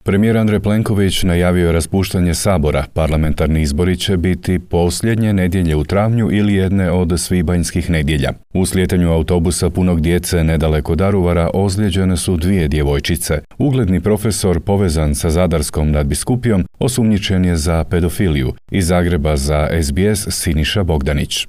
Premijer Andrej Plenković najavio je raspuštanje Sabora. Parlamentarni izbori će biti posljednje nedjelje u travnju ili jedne od svibanjskih nedjelja. U slijetanju autobusa punog djece nedaleko Daruvara ozlijeđene su 2 djevojčice. Ugledni profesor povezan sa Zadarskom nadbiskupijom osumnjičen je za pedofiliju. Iz Zagreba za SBS Siniša Bogdanić.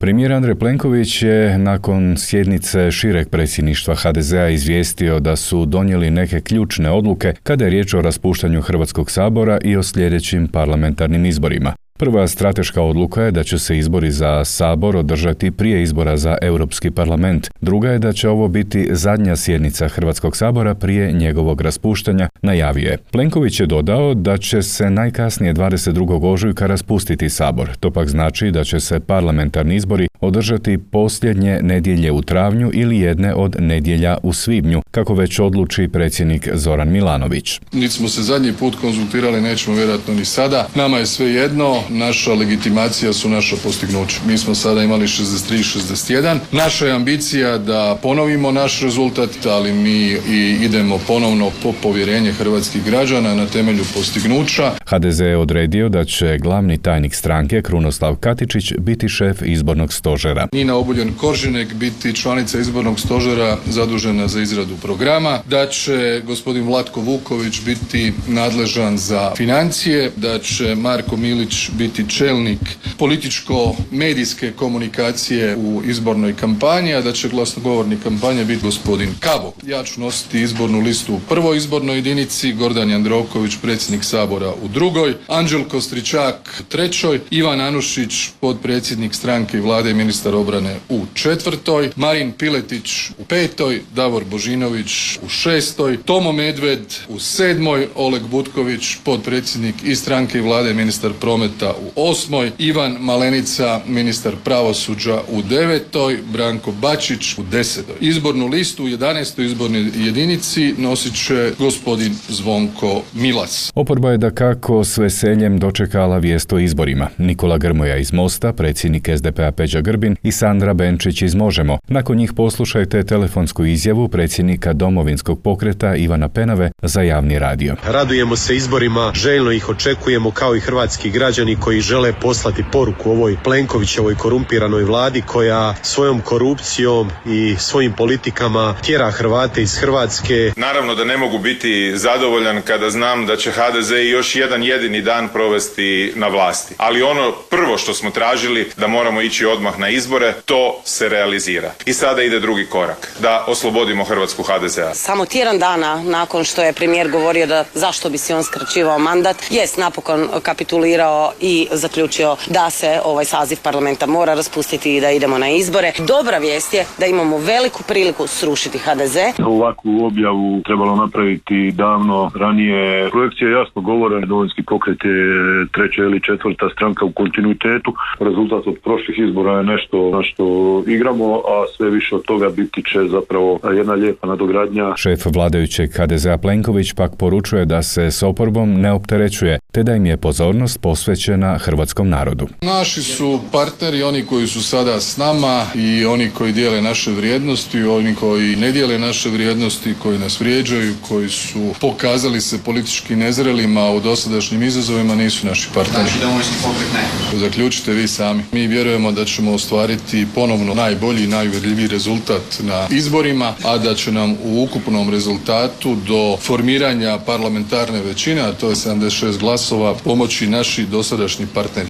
Premijer Andrej Plenković je nakon sjednice šireg predsjedništva HDZ-a izvijestio da su donijeli neke ključne odluke kada je riječ o raspuštanju Hrvatskog sabora i o sljedećim parlamentarnim izborima. Prva strateška odluka je da će se izbori za Sabor održati prije izbora za Europski parlament. Druga je da će ovo biti zadnja sjednica Hrvatskog sabora prije njegovog raspuštanja, najavio je. Plenković je dodao da će se najkasnije 22. ožujka raspustiti Sabor. To pak znači da će se parlamentarni izbori održati posljednje nedjelje u travnju ili jedne od nedjelja u svibnju, kako već odluči predsjednik Zoran Milanović. Niti smo se zadnji put konzultirali, nećemo vjerojatno ni sada. Nama je sve jedno. Naša legitimacija su naša postignuća. Mi smo sada imali 63-61. Naša je ambicija da ponovimo naš rezultat, ali mi i idemo ponovno po povjerenje hrvatskih građana na temelju postignuća. HDZ je odredio da će glavni tajnik stranke Krunoslav Katičić biti šef izbornog stožera. Nina Obuljen-Koržinek biti članica izbornog stožera zadužena za izradu programa, da će gospodin Vlatko Vuković biti nadležan za financije, da će Marko Milić biti čelnik političko-medijske komunikacije u izbornoj kampanji, a da će glasnogovornik kampanje biti gospodin Kabo. Ja ću nositi izbornu listu u prvoj izbornoj jedinici, Gordan Jandroković, predsjednik Sabora u drugoj, Anđelko Stričak u trećoj, Ivan Anušić, potpredsjednik stranke i vlade i ministar obrane u četvrtoj, Marin Piletić u petoj, Davor Božinović u šestoj, Tomo Medved u sedmoj, Oleg Butković, potpredsjednik i stranke i vlade i ministar prometa u osmoj, Ivan Malenica, ministar pravosuđa u devetoj, Branko Bačić u desetoj. Izbornu listu u 11. izbornoj jedinici nosit će gospodin Zvonko Milas. Oporba je dakako s veseljem dočekala vijest o izborima. Nikola Grmoja iz Mosta, predsjednik SDP-a Peđa Grbin i Sandra Benčić iz Možemo. Nakon njih poslušajte telefonsku izjavu predsjednika Domovinskog pokreta Ivana Penave za javni radio. Radujemo se izborima, željno ih očekujemo kao i hrvatski građani koji žele poslati poruku ovoj Plenkovićevoj korumpiranoj vladi koja svojom korupcijom i svojim politikama tjera Hrvate iz Hrvatske. Naravno da ne mogu biti zadovoljan kada znam da će HDZ još jedan jedini dan provesti na vlasti. Ali ono prvo što smo tražili, da moramo ići odmah na izbore, to se realizira. I sada ide drugi korak, da oslobodimo Hrvatsku HDZ-a. Samo tjedan dana nakon što je premijer govorio da zašto bi si on skraćivao mandat, jest napokon kapitulirao i zaključio da se ovaj saziv parlamenta mora raspustiti i da idemo na izbore. Dobra vijest je da imamo veliku priliku srušiti HDZ. Ovakvu objavu trebalo napraviti davno ranije. Projekcije jasno govore, Domovinski pokret je treća ili četvrta stranka u kontinuitetu. Rezultat od prošlih izbora je nešto na što igramo, a sve više od toga biti će zapravo jedna lijepa nadogradnja. Šef vladajućeg HDZ-a Plenković pak poručuje da se s oporbom ne opterećuje, te da im je pozornost posvećena hrvatskom narodu. Naši su partneri, oni koji su sada s nama i oni koji dijele naše vrijednosti, oni koji ne dijele naše vrijednosti, koji nas vrijeđaju, koji su pokazali se politički nezrelima u dosadašnjim izazovima, nisu naši partneri. Znači Domovinski pokret ne. Zaključite vi sami. Mi vjerujemo da ćemo ostvariti ponovno najbolji i najuvjerljiviji rezultat na izborima, a da će nam u ukupnom rezultatu do formiranja parlamentarne većine, a to je 76 glasova, pomoći naši dosadašnji partneri.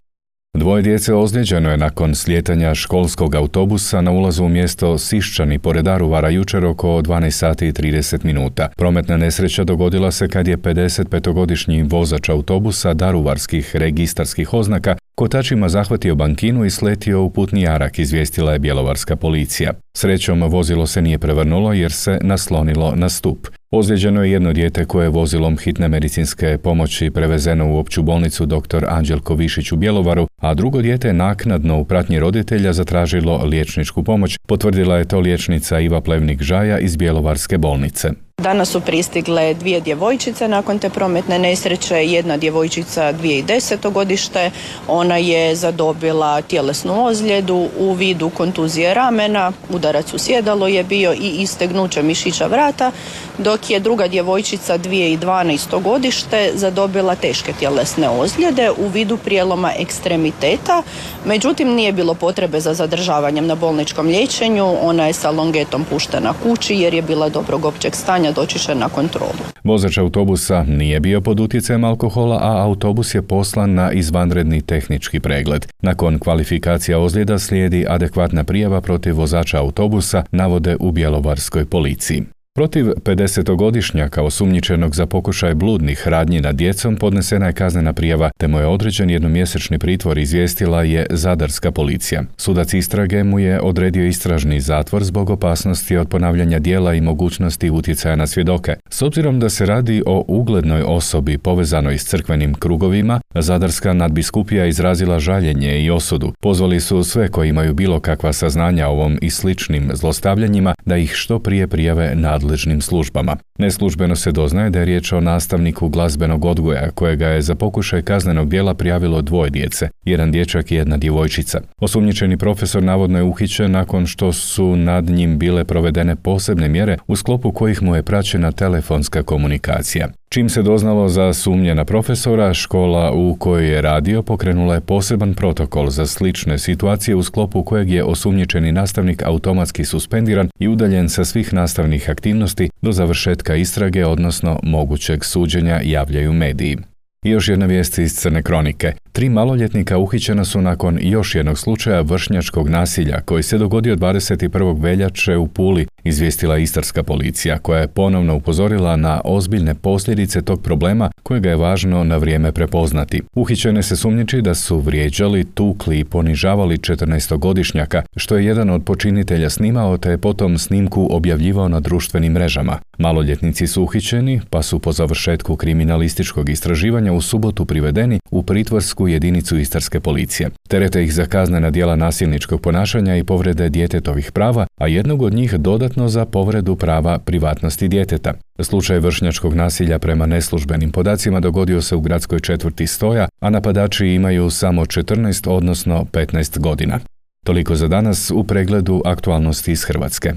2 djece ozlijeđeno je nakon slijetanja školskog autobusa na ulazu u mjesto Siščani pored Daruvara jučer oko 12 sati i 30 minuta. Prometna nesreća dogodila se kad je 55-godišnji vozač autobusa daruvarskih registarskih oznaka kotačima zahvatio bankinu i sletio u putni jarak, izvijestila je bjelovarska policija. Srećom, vozilo se nije prevrnulo jer se naslonilo na stup. Ozlijeđeno je jedno dijete koje je vozilom hitne medicinske pomoći prevezeno u opću bolnicu dr. Anđelko Višić u Bjelovaru, a drugo dijete je naknadno u pratnji roditelja zatražilo liječničku pomoć, potvrdila je to liječnica Iva Plevnik-Žaja iz Bjelovarske bolnice. Danas su pristigle 2 djevojčice nakon te prometne nesreće, jedna djevojčica 2010. godište, ona je zadobila tjelesnu ozljedu u vidu kontuzije ramena, udarac u sjedalo je bio i istegnuće mišića vrata, dok dok je druga djevojčica 2012. godište zadobila teške tjelesne ozljede u vidu prijeloma ekstremiteta, međutim nije bilo potrebe za zadržavanjem na bolničkom liječenju, ona je sa longetom puštena kući jer je bila dobrog općeg stanja, doći će na kontrolu. Vozač autobusa nije bio pod utjecajem alkohola, a autobus je poslan na izvanredni tehnički pregled. Nakon kvalifikacija ozljeda slijedi adekvatna prijava protiv vozača autobusa, navode u bjelovarskoj policiji. Protiv 50-godišnjaka osumnjičenog za pokušaj bludnih radnji nad djecom podnesena je kaznena prijava, te mu je određen jednomjesečni pritvor, izvijestila je zadarska policija. Sudac istrage mu je odredio istražni zatvor zbog opasnosti od ponavljanja djela i mogućnosti utjecaja na svjedoke. S obzirom da se radi o uglednoj osobi povezanoj s crkvenim krugovima, zadarska nadbiskupija izrazila žaljenje i osudu. Pozvali su sve koji imaju bilo kakva saznanja o ovom i sličnim zlostavljanjima da ih što prije prijave nadležnim službama. Neslužbeno se doznaje da je riječ o nastavniku glazbenog odgoja, kojega je za pokušaj kaznenog djela prijavilo 2 djece, jedan dječak i jedna djevojčica. Osumnjičeni profesor navodno je uhićen nakon što su nad njim bile provedene posebne mjere u sklopu kojih mu je praćena telefonska komunikacija. Čim se doznalo za sumnje na profesora, škola u kojoj je radio pokrenula je poseban protokol za slične situacije u sklopu kojeg je osumnjičeni nastavnik automatski suspendiran i udaljen sa svih nastavnih aktivnosti do završetka istrage, odnosno mogućeg suđenja, javljaju mediji. I još jedna vijest iz Crne kronike. 3 maloljetnika uhićena su nakon još jednog slučaja vršnjačkog nasilja koji se dogodio 21. veljače u Puli, izvijestila istarska policija, koja je ponovno upozorila na ozbiljne posljedice tog problema kojega je važno na vrijeme prepoznati. Uhićene se sumnjiči da su vrijeđali, tukli i ponižavali 14-godišnjaka, što je jedan od počinitelja snimao te je potom snimku objavljivao na društvenim mrežama. Maloljetnici su uhićeni, pa su po završetku kriminalističkog istraživanja u subotu privedeni u pritvorsku jedinicu istarske policije. Terete ih za kaznena djela nasilničkog ponašanja i povrede djetetovih prava, a jednog od njih dodatno za povredu prava privatnosti djeteta. Slučaj vršnjačkog nasilja prema neslužbenim podacima dogodio se u gradskoj četvrti Stoja, a napadači imaju samo 14, odnosno 15 godina. Toliko za danas u pregledu aktualnosti iz Hrvatske.